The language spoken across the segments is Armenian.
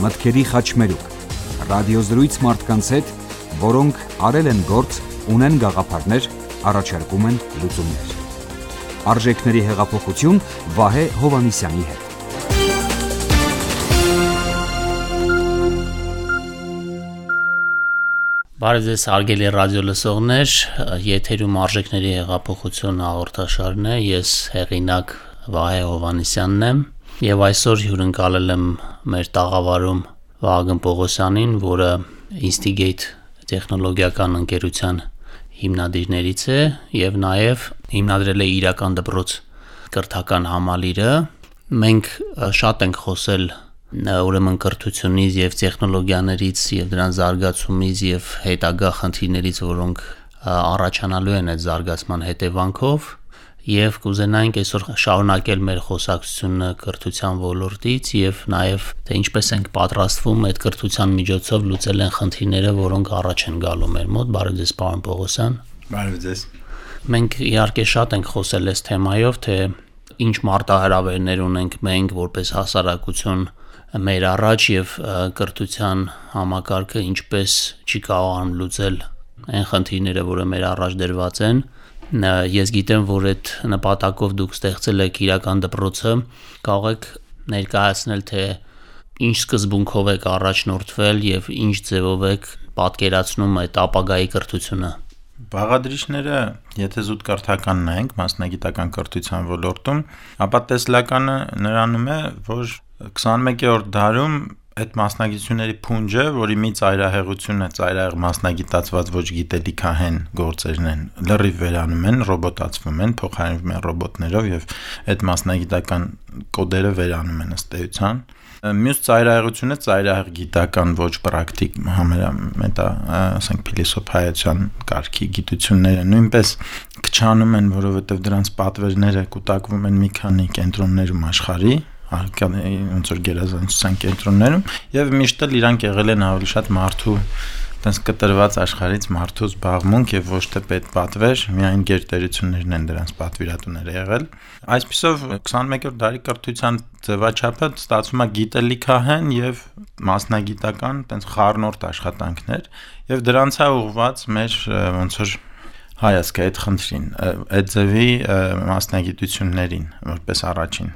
մտքերի խաչմերուկ, ռադիոզրույց մարդկանց հետ, որոնք արել են գործ, ունեն գաղափարներ, առաջարկում են լուծումներ։ Արժեքների հեղափոխություն Վահե Հովհաննիսյանի հետ։ Բարև ձեզ հարգելի ռադիո լսողներ, եթերում Արժեքների հեղափոխություն հաղորդաշարն է, ես հեղինակ Վահե Հովհաննիսյանն եմ եւ այսօր հյուրընկալել եմ մեր տաղավարում Վահագն Պողոսյանին, որը Instigate տեխնոլոգիական ընկերության հիմնադիրներից է եւ նաեւ հիմնադրել է իրական դպրոց կրթական համալիրը։ Մենք շատ ենք խոսել ուրեմն կրթությունից եւ տեխնոլոգիաներից եւ դրան զարգացումից եւ հետագա խնդիրներից, որոնք առաջանալու են այդ զարգացման հետևանքով, եւ կուզենայինք այսօր շարունակել մեր խոսակցությունը կրթության ոլորտից եւ նաեւ թե ինչպես ենք պատրաստվում այդ կրթության միջոցով լուծել են խնդիրները, որոնք առաջ են գալու մեր մոտ։ Բարև ձեզ, պարոն Պողոսյան։ Բարև ձեզ։ Մենք իհարկե շատ ենք խոսել այս թեմայով, թե ինչ մարտահրավերներ ունենք մենք որպես հասարակություն մեր առաջ եւ կրթության համակարգը ինչպես չի կարողանում լուծել այն խնդիրները, որը մեր առաջ դրված են։ Ես գիտեմ, որ այդ նպատակով դուք ստեղծել եք իրական դպրոցը, կարող եք ներկայացնել, թե ինչ սկզբունքով եք առաջնորդվել եւ ինչ ձևով եք պատկերացնում այդ ապագայի կրթությունը։ Բաղադրիչները, եթե զուտ կրթական նայենք մասնագիտական կրթության ոլորտում, ապա տեսլականը նրանում է, որ 21-րդ դարում այդ մասնագիտությունների փունջը, որի մի ծայրահեղությունը ծայրահեղ մասնագիտացված ոչ գիտելիքահեն գործերն են, լրիվ վերանում են, ռոբոտացվում են, փոխարինվում են ռոբոտներով եւ այդ մասնագիտական կոդերը վերանում են ըստ էության։ Մյուս ծայրահեղությունը ծայրահեղ գիտական ոչ պրակտիկ համեմետա, ասենք փիլիսոփայության կարգի գիտությունները նույնպես քչանում են, որովհետեւ դրանց պատվերները կուտակվում են մի քանի կենտրոններում աշխարհի, ոնց որ գերազանցության կենտրոններում, եւ միշտ էլ իրանք եղել են ավելի շատ մարդու տես կտրված աշխարհից մարդու զբաղմունք եւ ոչ թե պետպատվեր, միայն գերտերություններն են դրանց պատվիրատուները եղել։ Այսպիսով 21-րդ դարի կրթության ձևաչափը ստացվում է գիտելիքահեն եւ մասնագիտական տես խառնորդ աշխատանքներ եւ դրանց է ուղղված մեր ոնց որ հայացքը այդ խնդրին, այդ ձևի մասնագիտություններին, որպես առաջին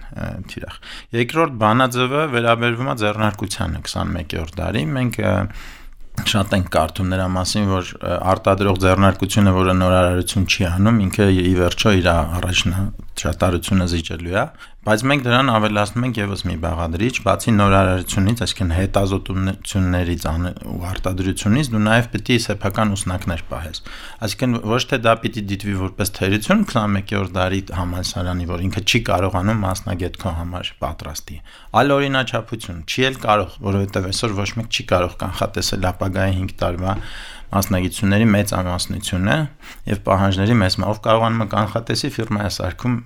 թիրախ։ Երկրորդ բանաձևը վերաբերվում է ձեռնարկությանը 21-րդ դարի։ Մենք շատ ենք կարդում նրա մասին, որ արտադրող ձեռնարկությունը, որը նորարարություն չի անում, ինքը ի վերջո իր առաջնահերթությունը զիջելու է, բայց մենք դրան ավելացնում ենք եւս մի բաղադրիչ, բացի նորարարությունից, այսինքն հետազոտություններից ու արտադրությունից, դու նաեւ պիտի սեփական ուսնակներ պահես։ Այսինքն ոչ թե դա պիտի դիտվի որպես թերություն 21-րդ դարի համալսարանի, որ ինքը չի կարողանում մասնագետ քո համար պատրաստի, այլ օրինաչափություն, չի էլ կարող, որովհետեւ այսօր ոչ մեկ չի կարող կանխատեսել ապագայի 5 տարվա մասնագիտությունների մեծ ամասնությունը եւ պահանջների մեծ ով կարողանում է կանխատեսի ֆիրմայի սարքում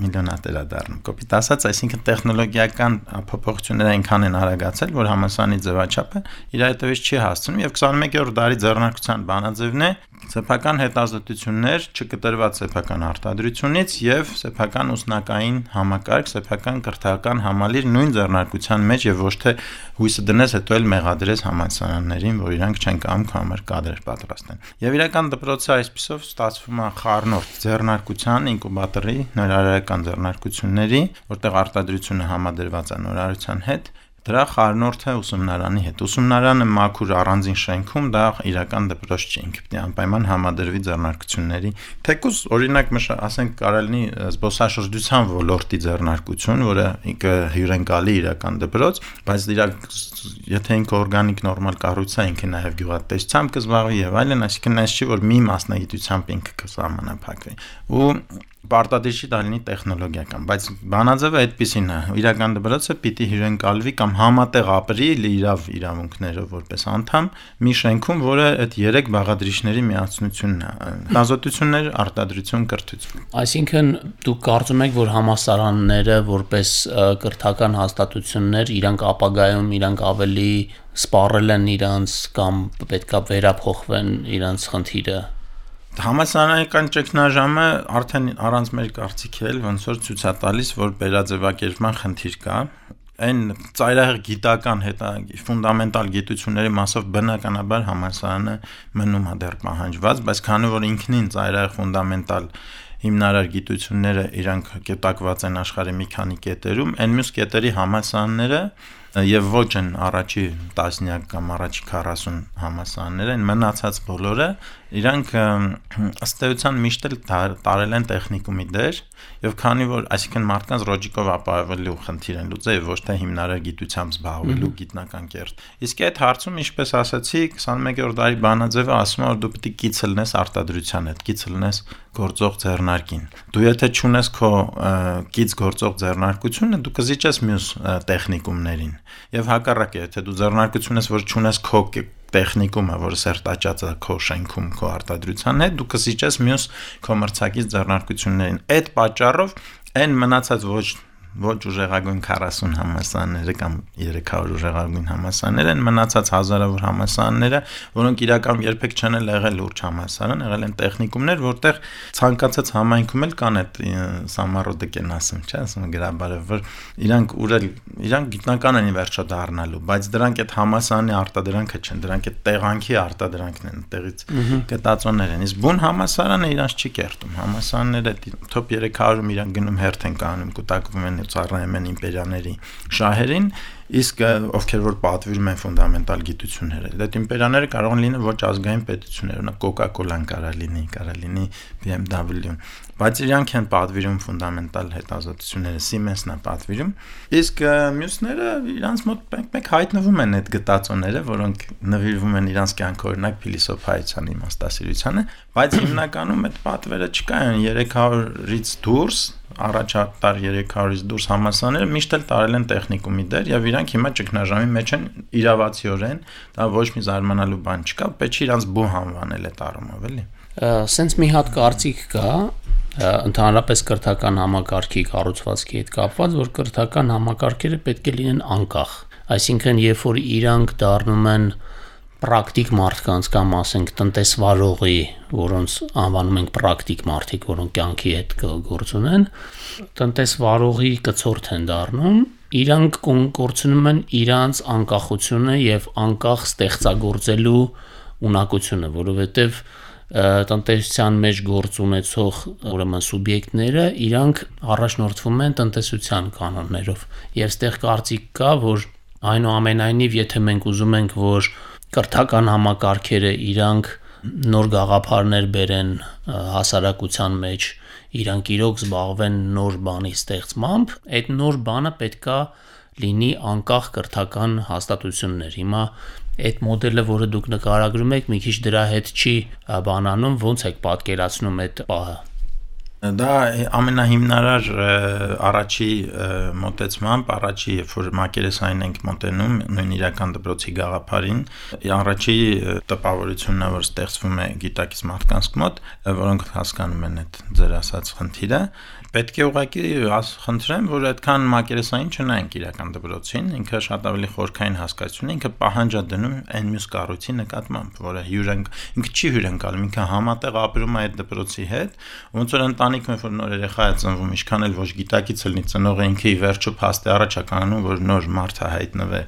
միլիոնատեր է դառնում։ Կոպիտ ասած, այսինքն տեխնոլոգիական փոփոխությունները այնքան են արագացել, որ համալսարանի ձևաչափը իր հետևից չի հասցնում եւ 21-րդ դարի ձեռնարկության բանաձևն է սեփական հետազոտություններ, չկտրված սեփական արտադրությունից եւ սեփական ուսնակային համակարգ, սեփական կրթական համալիր նույն ձեռնարկության մեջ եւ ոչ թե հույսը դնես հետո էլ մեղադրես համալսարաններին, որ իրանք չեն կամ քո համար կադրեր պատրաստեն։ Եվ իրական դպրոցը այսպիսով ստացվում է խառնորդ ձեռնարկության ինկուբատորի նորարարական ձեռնարկությունների, որտեղ արտադրությունը համադրված է նորարարության հետ, դրա խառնորդը ուսումնարանի հետ։ Ուսումնարանը մաքուր առանձին շենքում դա իրական դպրոց չի, ինքը պիտի անպայման համադրվի ձեռնարկությունների։ Թեկուզ օրինակ ասենք կարելի զբոսաշրջության ոլորտի ձեռնարկություն, որը ինքը հյուրընկալի իրական դպրոց, բայց եթե ինքը օրգանիկ նորմալ կառույց է, ինքը նաև գյուղատնտեսությամբ կզբաղվի եւ այլն, այսինքն այս չի որ մի մասնագիտությամբ ինքը կսահմանափակվի։ Ու պարտադիր դա լինի տեխնոլոգիական, բայց բանաձևը այդպեսին է։ Իրական դպրոցը պիտի հյուրընկալվի կամ համատեղ ապրի իրավունքներով որպես անդամ մի շենքում, որը այդ 3 բաղադրիչների միացությունն է։ Հետազոտություններ, արտադրություն, կրթություն։ Այսինքն դուք կարծում եք, որ համալսարանները որպես կրթական հաստատություններ իրանք ապագայում իրանք ավելի սպառել են իրանց կամ պետքա վերափոխվեն իրանց խնդիրը։ Համալսարանական ճգնաժամը արդեն առանց մեր կարծիքի էլ ոնց որ ցույց է տալիս, որ վերաձևակերպման խնդիր կա, այն ծայրահեղ գիտական ֆունդամենտալ գիտությունների մասով բնականաբար համալսարանը մնում է դեռ պահանջված, բայց քանի որ ինքնին ծայրահեղ ֆունդամենտալ հիմնարար գիտությունները իրանք կետակված են աշխարհի մի քանի կետերում, այն մյուս կետերի համալսարանները եւ ոչ են առաջի 10 կամ առաջի 40 համալսարանները, այն մնացած բոլորը իրանք ըստ էության միշտ էլ տարել են տեխնիկումի դեր եւ քանի որ այսինքն մարդկանց ռոջիկով ապահովելու խնդիր են լուծել եւ ոչ թե հիմնարար գիտությամբ զբաղվելու գիտնական կերտ։ Իսկ այդ հարցում ինչպես ասացի 21-րդ դարի բանաձևը ասում է որ դու պետք է կից լնես արտադրության հետ, կից լնես գործող ձեռնարկին։ Դու եթե չունես քո կից գործող ձեռնարկությունը, դու կզիջես մյուս տեխնիկումներին։ Եվ հակառակը, եթե դու ձեռնարկություն ես, որ չունես քո տեխնիկումը, որը սերտաճած է քո շենքում, քո արտադրության հետ, դու կզիջես մյուս քո մրցակից ձեռնարկություններին։ Այդ պատճառով այն մնացած ոչ ուժեղագույն 40 համալսարանները կամ 300 ուժեղագույն համալսարաններ են մնացած հազարավոր համալսարանները, որոնք իրական երբեք չեն եղել լուրջ համալսարան, եղել են տեխնիկումներ, որտեղ ցանկացած համայնքում էլ կան այդ սամարոդիկ են ասում, չէ՞, ասում գրաբարը, որ իրանք գիտնական են վերջո դառնալու, բայց դրանք այդ համալսարանի արտադրանքը չեն, դրանք այդ տեղանքի արտադրանքն են, տեղից գտածոներ են։ Իսկ բուն համալսարանը իրանց չի կերտում, համալսարանները top 300-ում իրանք գնում հերթ են կանում, կուտակվում են ծառայում են իմպերիաների շահերին, իսկ ովքեր որ պատվիրում են ֆունդամենտալ գիտությունները, այդ իմպերիաները կարող են լինել ոչ ազգային պետություններ, օրինակ Coca-Cola-ն կարող լինի BMW-ն, բայց իրանք են պատվիրում ֆունդամենտալ հետազոտությունները, Siemens-ն է պատվիրում, իսկ մյուսները իրանց մոտ մեկ հայտնվում են այդ գտածոները, որոնք նվիրվում են իրանց կյանքի օրինակ փիլիսոփայության իմաստասիրությանը, բայց հիմնականում այդ պատվերը չկային 300-ից դուրս առաջատար 300-ից դուրս համալսարանները միշտ էլ տարել են տեխնիկումի դեր եւ իրանք հիմա ճգնաժամի մեջ են իրավացիորեն, դա ոչ մի զարմանալու բան չկա, պետք է իրանց բու հանվանել այդ առումով, էլի։ Սենց մի հատ կարծիք կա, ընդհանրապես կրթական համակարգի կառուցվածքի հետ կապված, որ կրթական համակարգերը պետք է լինեն անկախ, այսինքն երբ որ իրանք դառնում են պրակտիկ մարդկանց կամ ասենք տնտեսվարողի, որոնց անվանում ենք պրակտիկ մարդիկ, որոնք կյանքի հետ գործ ունեն, տնտեսվարողի կցորդ են դառնում, իրանք կորցնում են իրանց անկախությունը եւ անկախ ստեղծագործելու ունակությունը, որովհետեւ տնտեսության մեջ գործ ունեցող ուրեմն սուբյեկտները իրանք առաջնորդվում են տնտեսության կանոններով եւ ստեղ կարծիք կա, որ այնուամենայնիվ եթե մենք ուզում ենք, որ կրթական համակարգերը իրանք նոր գաղափարներ բերեն հասարակության մեջ, իրանք իրոք զբաղվեն նոր բանի ստեղծմամբ, այդ նոր բանը պետքա լինի անկախ կրթական հաստատություններ։ Հիմա այդ մոդելը, որը դուք նկարագրում եք, մի քիչ դրա հետ չի բանանում, ոնց եք պատկերացնում այդ պահը։ Դա ամենահիմնարար առաջի մոտեցմամբ, առաջի երբ որ մակերեսային ենք մոտենում նույն իրական դպրոցի գաղափարին, առաջի տպավորությունն է, որ ստեղծվում է գիտակից մարդկանց մոտ, որոնք հասկանում են այդ ձեր ասած խնդիրը, պետք է ուղղակի խնդրեմ, որ այդքան մակերեսային չնայենք իրական դպրոցին, ինքը շատ ավելի խորքային հասկացություն է, ինքը պահանջ է դնում այն մյուս կառույցի նկատմամբ, որը ինքը չի հյուրընկալում, ինքը համատեղ ապրում է այդ դպրոցի հետ, ոնց որ ընտանիքում որ նոր երեխա է ծնվում, ինչքան էլ ոչ գիտակից լինի ծնողը ինքը ի վերջո փաստի առաջ է կանգնում, որ նոր մարդ է հայտնվի,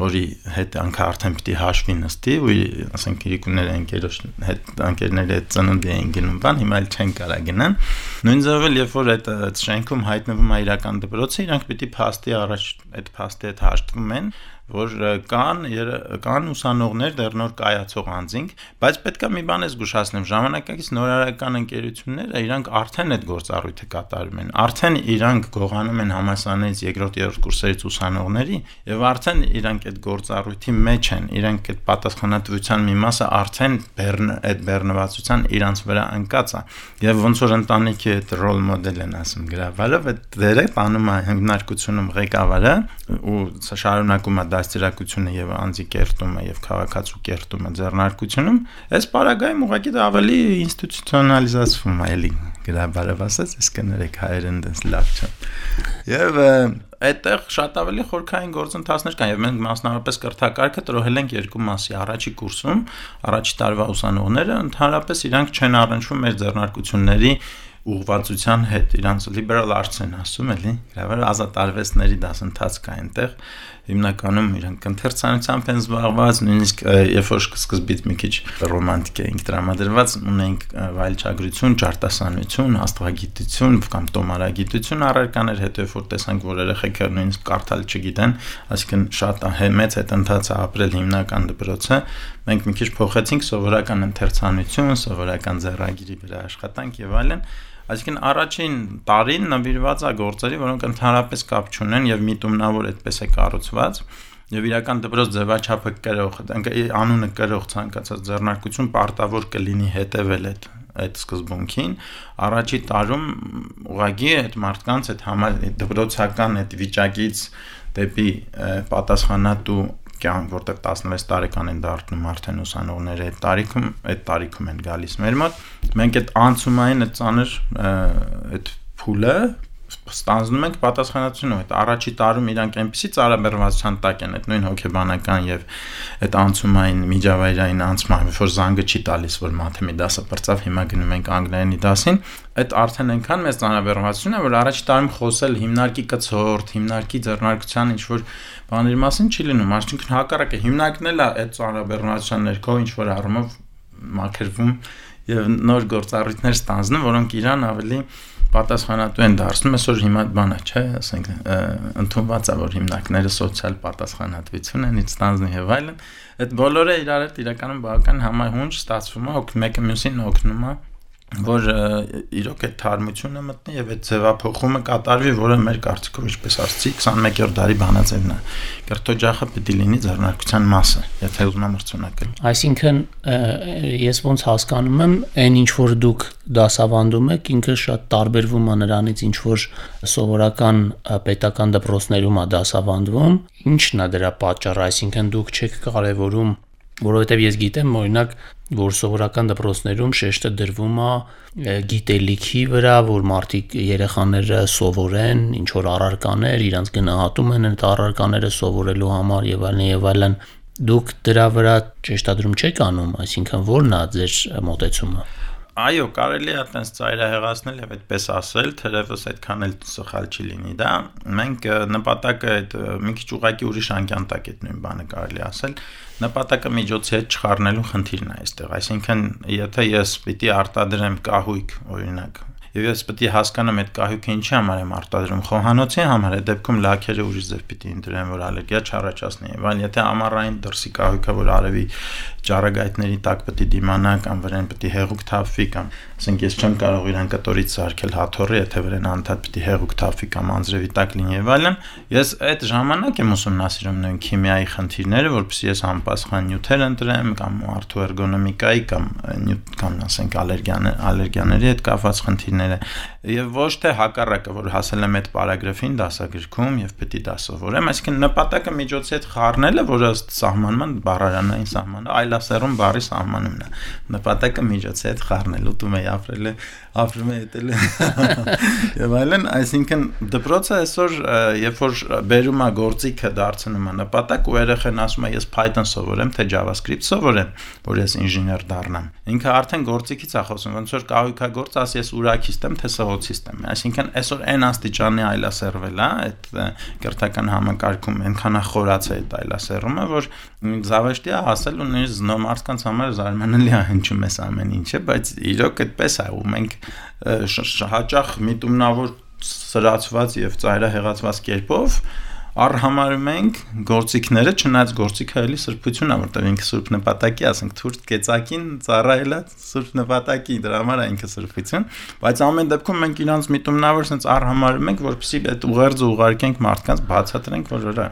որի հետ անքը արդեն պիտի հաշվի նստի, ու ասենք իրիկունները ընկերների հետ ծնունդի էին գնում, բան հիմա էլ չեն կարա գնան։ Նույն ձևով էլ երբ որ այդ շենքում հայտնվում է իրական դպրոցը, իրանք պիտի փաստի առաջ այդ փաստի հետ հաշտվում են, որ կան ուսանողներ դեռ նոր կայացող անձինք, բայց պետք է մի բան զգուշացնեմ, ժամանակակից նորարարական ընկերությունները իրանք արդեն այդ գործառույթը կատարում են, արդեն իրանք գողանում են համալսարանից երկրորդ կուրսերից ուսանողների եւ արդեն իրանք այդ գործառույթի մեջ են, իրանք այդ պատասխանատվության մի մասը արդեն այդ բեռնվածության իրանց վրա ընկած է եւ ոնց որ ընտանիքի այդ ռոլ մոդել են ասում գրավարը, այդ դերը տանում է հիմնարկությունում ղեկավարը ու շարունակում է դաստիարակությունը եւ անձի կերտումը եւ քաղաքացու կերտումը ձեռնարկությունում, այս պարագայում ուղղակի դա ավելի ինստիտուցիոնալիզացվում է, էլի գրաբարով ասած, իսկ կներեք հայերեն դες լավ չէ։ Եվ այդտեղ շատ ավելի խորքային գործընթացներ կան եւ մենք մասնավորապես կրթակարգը տրոհել ենք երկու մասի, առաջի կուրսում, առաջի տարվա ուսանողները ընդհանրապես իրանք չեն առնչվում մեր ձեռնարկությունների ուղղվածության հետ, իրանց liberal arts են ասում էլի, գրավեր ազատ արվեստների դասընթաց կա այնտեղ, հիմնականում իրանք ընթերցանությամբ են զբաղված, նույնիսկ երբ որ սկզբից մի քիչ ռոմանտիկ էինք տրամադրված, ունենք վայելչագրություն, ճարտասանություն, աստղագիտություն կամ տոմարագիտություն առարկաներ, հետո երբ որ տեսանք, որ երեխեքը նույնիսկ կարդալ չգիտեն, այսինքն շատ մեծ հետընթաց է ապրել հիմնական դպրոցը, մենք մի քիչ փոխեցինք սովորական ընթերցանություն, սովորական ձեռագիրի վրա աշխատանք եւ այլն։ Այսինքն առաջին տարին նվիրված է գործերի, որոնք ընդհանրապես կապ չունեն եւ միտումնավոր այդպես է կառուցված եւ իրական դպրոց ձևաչափը կրող, անունը կրող ցանկացած ձեռնարկություն պարտավոր կլինի հետեւել այդ սկզբունքին։ Առաջի տարում ուղղակի այդ մարդկանց այդ դպրոցական այդ վիճակից դեպի պատասխանատու կյանք, որտեղ 16 տարեկան են դառնում արդեն ուսանողները այդ տարիքում են գալիս մեր մոտ, մենք այդ անցումային այդ ծանր այդ փուլը ստանձնում ենք պատասխանատվությունը, այդ առաջի տարում իրանք այնպեսի ծառաբեռնվածության տակ են, այդ նույն հոգեբանական եւ այդ անցումային միջավայրային անցումը, որ զանգը չի տալիս, որ մաթեմի դասը բրծավ, հիմա գնում ենք անգլերենի դասին, այդ արդեն այնքան մեծ ծառաբեռնվածություն է, որ առաջի տարում խոսել հիմնարկի կցորդ, հիմնարկի ձեռնարկության ինչ որ բաների մասին չի լինում, այսինքն հակառակը հիմնարկն էլ է այդ ծառաբեռնվածության ներքո ինչ որ առումով մաքրվում եւ նոր գործառույթներ ստանձնում, որոնք իրան ավելի պատասխանատու են դարձնում, այսօր հիմա բանը չէ, ասենք ընդունված է, որ հիմնարկները սոցիալ պատասխանատվություն են ստանձնում եւ այլն, այդ բոլորը իրար հետ իրականում բավական համահունչ ստացվում է, մեկը մյուսին օգնում է, որ իրոք այդ թարմությունը մտնի եւ այդ ձևափոխումը կատարվի, որը մեր կարծիքով ինչպես ասացի 21-րդ դարի բանաձևն է։ Կրթօջախը պետք է լինի ձեռնարկության մասը, եթե ուզում եմ մրցունակել։ Այսինքն ես ոնց հասկանում եմ, այն ինչ որ դուք դասավանդում եք, ինքը շատ տարբերվում է նրանից, ինչ որ սովորական պետական դպրոցներում է դասավանդվում։ Ինչն է դրա պատճառը, այսինքն դուք չեք կարևորում, որովհետև ես գիտեմ, օրինակ, որ սովորական դպրոցներում շեշտը դրվում է գիտելիքի վրա, որ մարդիկ երեխաները սովորեն, ինչ որ առարկաներ, իրանց գնահատում են այդ առարկաները սովորելու համար եւ այլն, դուք դրա վրա շեշտադրում չեք անում, այսինքն ո՞րն է ձեր մոտեցումը։ Այո, կարելի է այդպես ծայրահեղացնել եւ այդպես ասել, թերևս այդքան էլ սխալ չի լինի դա։ Մենք նպատակը այդ մի քիչ ուղղակի ուրիշ անկյան տակ այդ նույն բանը կարելի ասել, նպատակը միջոցի հետ չխառնելու խնդիրն է այստեղ։ Այսինքն, եթե ես պիտի արտադրեմ կահույք, օրինակ, եւ ես պետք է հասկանամ այդ կահույքը ինչի համար եմ արտադրում, խոհանոցի համար, այդ դեպքում լաքերը ուրիշ ձև պիտի ընտրեմ, որ ալերգիա չառաջացնի, այլ եթե ամառային դրսի կահույքը, որ արևի ճառագայթների տակ պետք է դիմանա կամ վրան պետք է հեղուկ թափվի կամ ասենք ես չեմ կարող իրան կտորից սարքել հաթոռի, եթե վրան անդադ պետք է հեղուկ թափվի կամ անձրևի տակ լինի եւ այլն, ես այդ ժամանակ եմ ուսումնասիրում նույն քիմիայի խնդիրները, որպեսզի ես համապատասխան նյութեր ընտրեմ կամ արդյունք էրգոնոմիկայի կամ ասենք ալերգիաների հետ կապված խնդիրները եւ ոչ թե հակառակը, որ հասել եմ այդ պարագրաֆին դասագրքում եւ պետք է դա սովորեմ, այսինքն նպատակը միջոցի հետ խառնելը, որը սահմանման բառարանային սահմանը այլասերում բառի սահմանումն է, նպատակը միջոցի հետ խառնելու դու մեի ապրում է դել եւ այլն, այսինքն դպրոցը այսօր երբ որ բերում է գործիքը դարձնում է նպատակ ու երեխան ասում է ես Python սովորեմ թե JavaScript սովորեմ, որ ես ինժեներ դառնամ, ինքը արդեն գործիքից է խոսում, ոնց որ կահույքագործ ասի ես ուրաքիստ եմ թե սղոցիստ եմ, այսինքն այսօր այն աստիճանի այլասերվել է այդ կրթական համակարգում այնքան է խորացել այդ այլասերումը, որ զավեշտի է հասել ու նույնիսկ մարդկանց համար զարմանալի է հնչում էս ամեն ինչը, բայց իրոք այդպես է ու մենք հաճախ միտումնավոր սրացված եւ ծայրահեղացված կերպով առհամարում ենք գործիքները, չնայած գործիքը էլի սրբություն է, որտեղ ինքը սուրբ նպատակի, ասենք թուրք կեցակին ծառայելա սուրբ նպատակի, դրա համար է ինքը սրբություն, բայց ամեն դեպքում մենք իրանց միտումնավոր sense առհամարում ենք, որպեսզի այդ ուղերձը ուղարկենք մարդկանց, բացատրենք, որ որա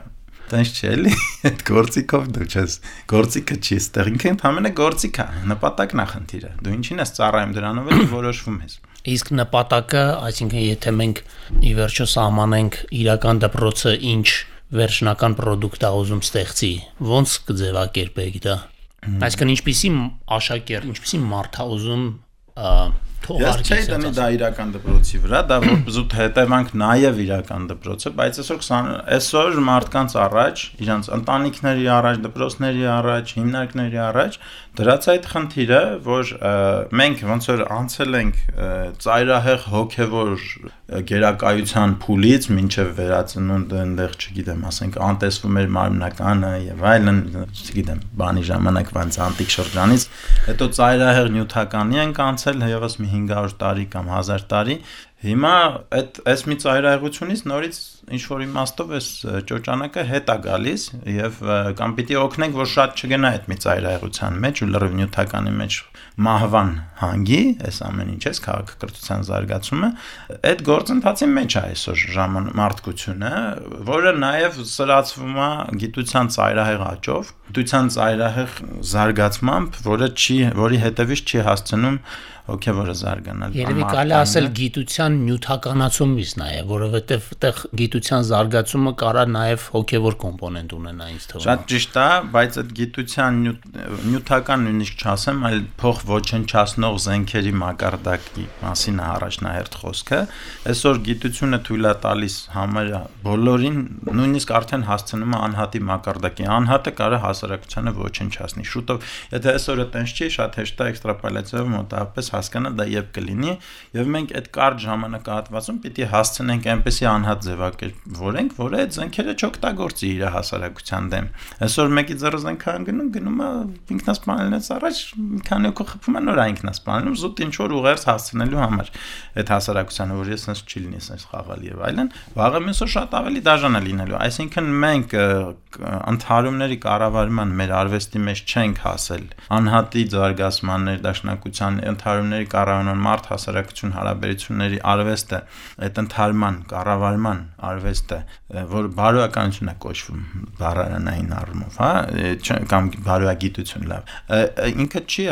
Տենց չէ՞ էլի, այդ գործիքով դու չես, գործիքը չի ստեղ, ինքը ընդհանրապես գործիք է, նպատակն է խնդիրը, դու ինչին ես ծառայում դրանով էլ որոշվում ես։ Իսկ նպատակը, այսինքն եթե մենք ի վերջո սահմանենք իրական դպրոցը ինչ վերջնական պրոդուկտ է ուզում ստեղծի, ո՞նց կձևակերպեք դա։ Այսինքն ինչպիսի աշակերտ, ինչպիսի մարդ է ուզում Ես չէի տնի դա իրական դպրոցի վրա, դա որպեսզուտ հետևանք նաև իրական դպրոցը, բայց այսօր մարդկանց առաջ, իրանց ընտանիքների առաջ, դպրոցների առաջ, հիմնարկների առաջ դրած այդ խնդիրը, որ մենք ոնց որ անցել ենք ծայրահեղ հոգևոր գերակայության փուլից մինչև վերածնունդը այնտեղ, չգիտեմ, ասենք անտեսվում էր մարմնականը եւ այլն, չգիտեմ, բանի ժամանակվանց անտիկ շրջանից, հետո ծայրահեղ նյութականի ենք անցել եւս մի 500 տարի կամ 1000 տարի Հիմա այս մի ծայրահեղությունից նորից ինչ որ իմաստով այս ճոճանակը հետ է գալիս եւ կամ պիտի օգնենք որ շատ չգնա այդ մի ծայրահեղության մեջ ու լրիվ նյութականի մեջ մահվան հանգի, այս ամեն ինչ էս քաղաքակրթության զարգացումը, այդ գործընթացի մեջ է այսօր մարդկությունը, որը նաեւ սրացվում է գիտության ծայրահեղ աճով, գիտության ծայրահեղ զարգացմամբ, որի հետևից չի հասցնում հոգևորը զարգանալ։ Երևի կարելի ասել գիտության նյութականացումից նաև, որովհետև այդտեղ գիտության զարգացումը կարա նաև հոգևոր կոմպոնենտ ունենա ինձ թվում։ Շատ ճիշտ է, բայց այդ գիտության նյութական նույնիսկ չասեմ, այլ փոխ ոչնչացնող զենքերի մակարդակի մասին է առաջնահերթ խոսքը։ Այսօր գիտությունը թույլ է տալիս համարյա բոլորին, նույնիսկ արդեն հասցնում է անհատի մակարդակի։ Անհատը կարա հասարակությանը ոչնչացնի։ Շուտով, եթե այսօր այդպես չի, շատ հեշտ է էքստրապոլյացիայով մոտավորապես հասկանա դա եւ կլինի եւ մենք այդ կարճ ժամանակահատվածում պիտի հասցնենք այնպեսի անհատ ձևակերպվենք, որը այդ զենքերը չօգտագործի իր հասարակության դեմ։ Այսօր մեկի ձեռը զենքան գնում է ինքնասպանելուց առաջ մի քանի օր խփում է նոր ինքնասպանելու զուտ ինչ որ ուղերձ հասցնելու համար այդ հասարակությանը, որ ես sense չի լինի sense խաղալ եւ այլն, վաղը մեսօր շատ ավելի դաժան է լինելու։ Այսինքն մենք ընդհանրումների կառավարման մեր արվեստի մեջ չենք հասել անհատի զարգացման ներդաշնակության ընդհանրումների կառավարման մարդ հասարակություն հարաբերությունների արվեստը այդ ընդհանրման կառավարման արվեստը որ բարոյականություն է կոչվում բառարանային առումով, հա, կամ բարոյագիտություն լավ ինքը չի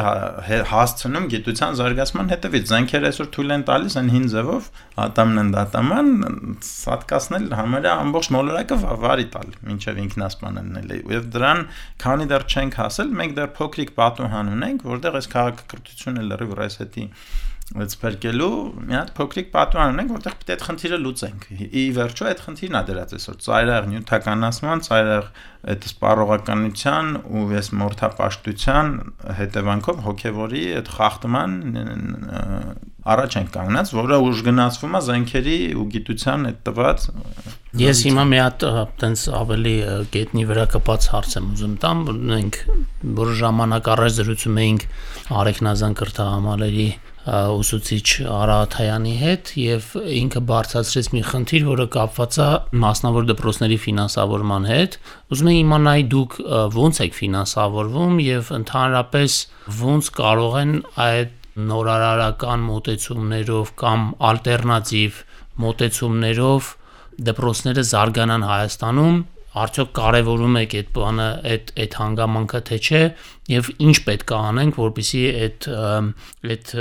հասցնում գիտության զարգացման հետևից զենքերը այսօր թույլ են տալիս այն հին ձևով ատամն են դատաման սատկացնել համարյա ամբողջ մոլորակը վարի տալ մինչև ինքնասպանելն է եւ դրան քանի դեռ չենք հասել մենք դեռ փոքրիկ պատուհան ունենք որտեղ այս քաղաքակրթությունը լրիվ ռեսետի Սպերկելու մի հատ փոքրիկ պատուհան ունենք, որտեղ պետք է այդ խնդիրը լուծենք։ Ի վերջո այդ խնդիրն է դրած այսօր ծայրահեղ նյութականացման, ծայրահեղ այդ սպառողականության ու այս մորթապաշտության հետևանքով հոգևորի այդ խախտման առաջ ենք կանգնած, որը ուժգնացվում է զենքերի ու գիտության այդ տված Ես հիմա մի հատ տենց ավելի գետնի վրա կպած հարց եմ ուզում տամ, մենք որ ժամանակ առաջ զրուցում էինք Արեգնազան կրթահամալիրի ուսուցիչ Արա Աթայանի հետ եւ ինքը բարձրացրեց մի խնդիր, որը կապված է մասնավոր դպրոցների ֆինանսավորման հետ։ Ուզում եմ իմանալ դուք ո՞նց եք ֆինանսավորվում եւ ընդհանրապես ո՞նց կարող են այդ նորարարական մոտեցումներով կամ ալտերնատիվ մոտեցումներով դպրոցները զարգանան Հայաստանում արդյոք կարևորում եք այդ բանը այդ հանգամանքը թե չէ եւ ինչ պետք է անենք որպեսզի այդ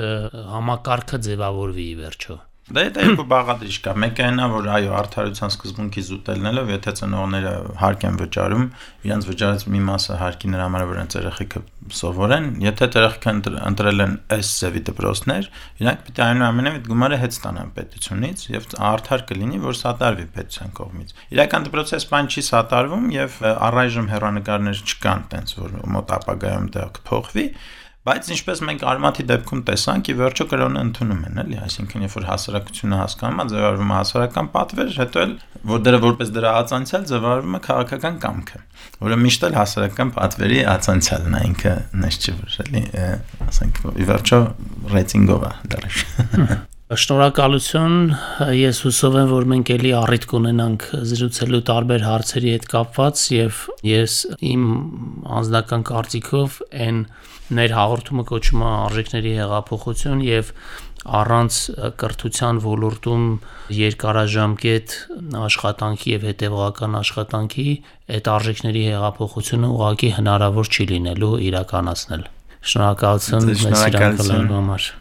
համակարգը ձևավորվի ի վերջո Դա երկու բաղադրիչ կա։ Մեկը այն է, որ այո, արդարության սկզբունքի զուտելնելով, եթե ծնողները հարկ են վճարում, իրենց վճարած մի մասը հարկի նրա համար որ իրենց երեխեքը սովորեն, եթե երեխեքը ընտրել են այս ձևի դպրոցներ, իրանք պետք է այնուամենայնիվ այդ գումարը հետ ստանան պետությունից եւ արդար կլինի, որ սատարվի պետության կողմից։ Իրական դպրոցը այս բան չի սատարվում եւ առայժմ հեռանկարներ չկան, տենց որ մոտ ապագայում դա կփոխվի Բայց ինչպես մենք արմատի դեպքում տեսանք, ի վերջո կրոնը ընդունում են, էլի, այսինքն երբ որ հասարակությունը հասկանում է, ձևավորվում է հասարակական պատվեր, հետո էլ որ դրա որպես դրա ածանցիալ ձևավորվում է քաղաքական կամքը, որը միշտ էլ հասարակական պատվերի ածանցիալն է ինքը, նես չի որ, էլի, ասենք, ի վերջո ռեյտինգով է դեռ Շնորհակալություն, ես հուսով եմ, որ մենք էլի առիթ կունենանք զրուցելու տարբեր հարցերի հետ կապված եւ ես իմ անձնական կարծիքով այն ներ հաղորդումը կոչում է արժեքների հեղափոխություն եւ առանց կրթության ոլորտում երկարաժամկետ աշխատանքի եւ հետեւողական աշխատանքի այդ արժեքների հեղափոխությունը ուղղակի հնարավոր չի լինելու իրականացնել։ Շնորհակալություն մեզ իրականացնելու համար։